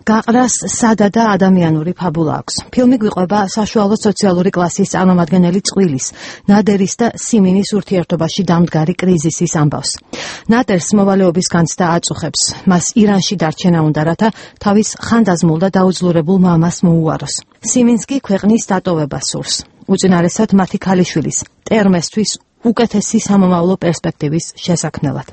გაყრას სადა და ადამიანური ფაბულა აქვს. ფილმი გვიყვება საშუალო სოციალური კლასის წარმომადგენელი წყვილის, ნადერის და სიმინის ურთიერთობაში დამდგარი კრიზისის ამბავს. ნადერს მოვალეობის განცდა აწუხებს. მას ირანში დარჩენა უნდა, რათა თავის ხანდაზმულ და დაუძლურებულ მამას მოუაროს. სიმინს კი ქვეყნის დატოვება სურს. უწინარესად მათი ქალიშვილის, ტერმესთვის უკეთესი სამომავლო პერსპექტივის შესაქმნელად.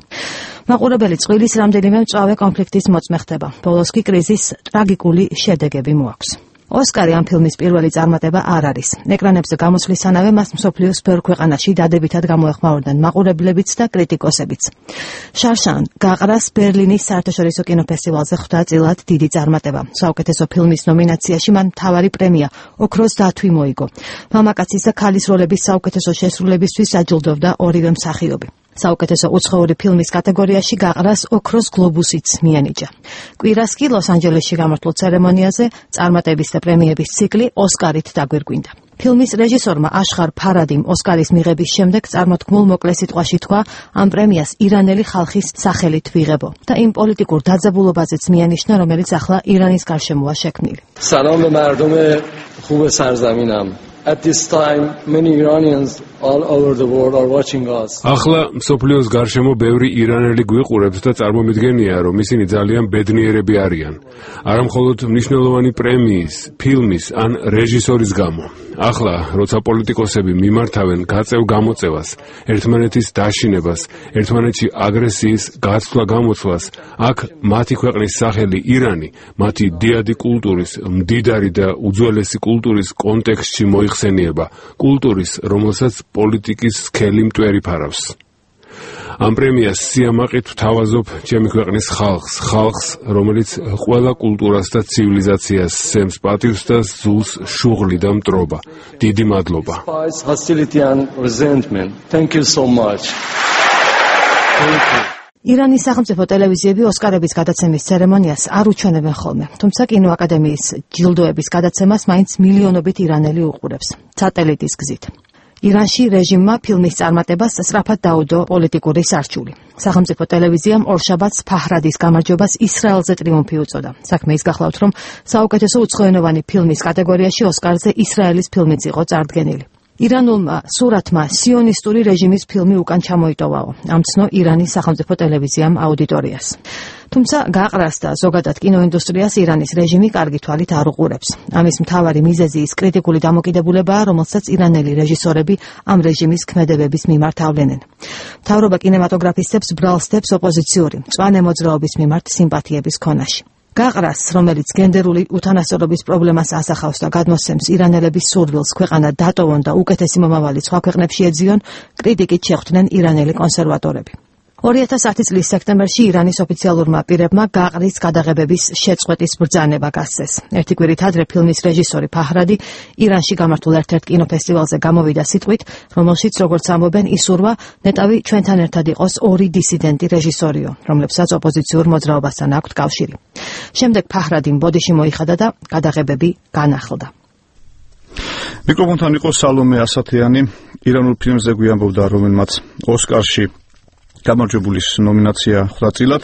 მაყურებელი წყვილის რამდენიმე მწვავე კონფლიქტის მოწმე ხდება. ბოლოს კი კრიზის ტრაგიკული შედეგები მოაქვს. ოსკარი ამ ფილმის პირველი წარმატება არ არის. ეკრანებზე გამოსვლისთანავე მას მსოფლიოს ბევრ ქვეყანაში დადებითად გამოეხმაურდნენ მაყურებლებიც და კრიტიკოსებიც. შარშან გაყრას ბერლინის საერთაშორისო კინოფესტივალზე ხვდა წილად დიდი წარმატება. საუკეთესო ფილმის ნომინაციაში მან მთავარი პრემია ოქროს დათვი მოიგო. მამაკაცის და ქალის როლების საუკეთესო შესრულებისთვის აჯილდოვდა ორივე მსახიობი. საუკეთესო უცხოური ფილმის კატეგორიაში გაყრას ოქროს გლობუსიც მიენიჭა. კვირას კი ლოს-ანჯელესში გამართულ ცერემონიაზე წარმატების და პრემიების ციკლი ოსკარით დაგვირგვინდა. ფილმის რეჟისორმა აშხარ ფარადიმ ოსკარის მიღების შემდეგ წარმოთქმულ მოკლე სიტყვაში თქვა, ამ პრემიას ირანელი ხალხის სახელით ვიღებო და იმ პოლიტიკურ დაძაბულობაზეც მიანიშნა, რომელიც ახლა ირანის გარშემოა შექმნილი. سلام به مردم خوب سرزمینم. At this time, many Iranians all over the world are watching us. ახლა მსოფლიოს გარშემო ბევრი ირანელი გვიყურებს და წარმომიდგენია, რომ ისინი ძალიან ბედნიერები არიან. არა მხოლოდ მნიშვნელოვანი პრემიის, ფილმის ან რეჟისორის გამო. ახლა, როცა პოლიტიკოსები მიმართავენ გაწევ გამოწევას, ერთმანეთის დაშინებას, ერთმანეთში აგრესიის გაცვლა-გამოცვლას, აქ მათი ქვეყნის სახელი ირანი, მათი დიადი კულტურის, მდიდარი და უძველესი კულტურის კონტექსტში მოიხსენიება, კულტურის, რომელსაც პოლიტიკის სქელი მტვერი ფარავს. ამ პრემიას სიამაყით ვთავაზობ ჩემი ქვეყნის ხალხს, რომელიც ყველა კულტურას და ცივილიზაციას სემს პატივს და ზულს შუღლი და მტრობა. დიდი მადლობა. ირანის სახელმწიფო ტელევიზიები ოსკარების გადაცემის ცერემონიას არ უჩვენებენ ხოლმე, თუმცა კინოაკადემიის ჯილდოების გადაცემას მაინც მილიონობით ირანელი უყურებს, სატელიტის გზით. ირანში რეჟიმმა ფილმის წარმატებას სწრაფად დაუდო პოლიტიკური სარჩული. სახელმწიფო ტელევიზიამ ორშაბათს ფაჰრადის გამარჯვებას ისრაელზე ტრიუმფი უწოდა. საქმე ის გახლავთ, რომ საუკეთესო უცხოენოვანი ფილმის კატეგორიაში ოსკარზე ისრაელის ფილმიც იყო წარდგენილი. ირანულმა სურათმა სიონისტური რეჟიმის ფილმი უკან ჩამოიტოვაო, ამცნო ირანის სახელმწიფო ტელევიზიამ აუდიტორიას. თუმცა გაყრას და ზოგადად კინოინდუსტრიას ირანის რეჟიმი კარგი თვალით არ უყურებს. ამის მთავარი მიზეზი ის კრიტიკული დამოკიდებულებაა, რომელსაც ირანელი რეჟისორები ამ რეჟიმის ქმედებების მიმართ ავლენენ. მთავრობა კინემატოგრაფისტებს ბრალს დებს ოპოზიციური, მწვანე მოძრაობის მიმართ სიმპათიების ქონაში. გაყრას, რომელიც გენდერული უთანასწორობის პრობლემას ასახავს და გადმოსცემს ირანელების სურვილს ქვეყანა დატოვონ და უკეთესი მომავალი სხვა ქვეყნებში ეძიონ, კრიტიკით შეხვდნენ ირანელი კონსერვატორები. 2010 წლის სექტემბერში ირანის ოფიციალურმა პირებმა გაყრის გადაღებების შეწყვეტის ბრძანება გასცეს. ერთი კვირით ადრე ფილმის რეჟისორი ფაჰრადი ირანში გამართულ ერთ-ერთ კინოფესტივალზე გამოვიდა სიტყვით, რომელშიც, როგორც ამბობენ, ისურვა ნეტავი ჩვენთან ერთად იყოს ორი დისიდენტი რეჟისორიო, რომლებსაც ოპოზიციურ მოძრაობასთან აქვთ კავშირი. შემდეგ ფაჰრადიმ ბოდიში მოიხადა და გადაღებები განახლდა. მიკროფონთან იყო სალომე ასათიანი. ირანულ ფილმზე გვიამბობდა, რომელმაც ოსკარში გამარჯვებულის ნომინაცია ხვდა წილად.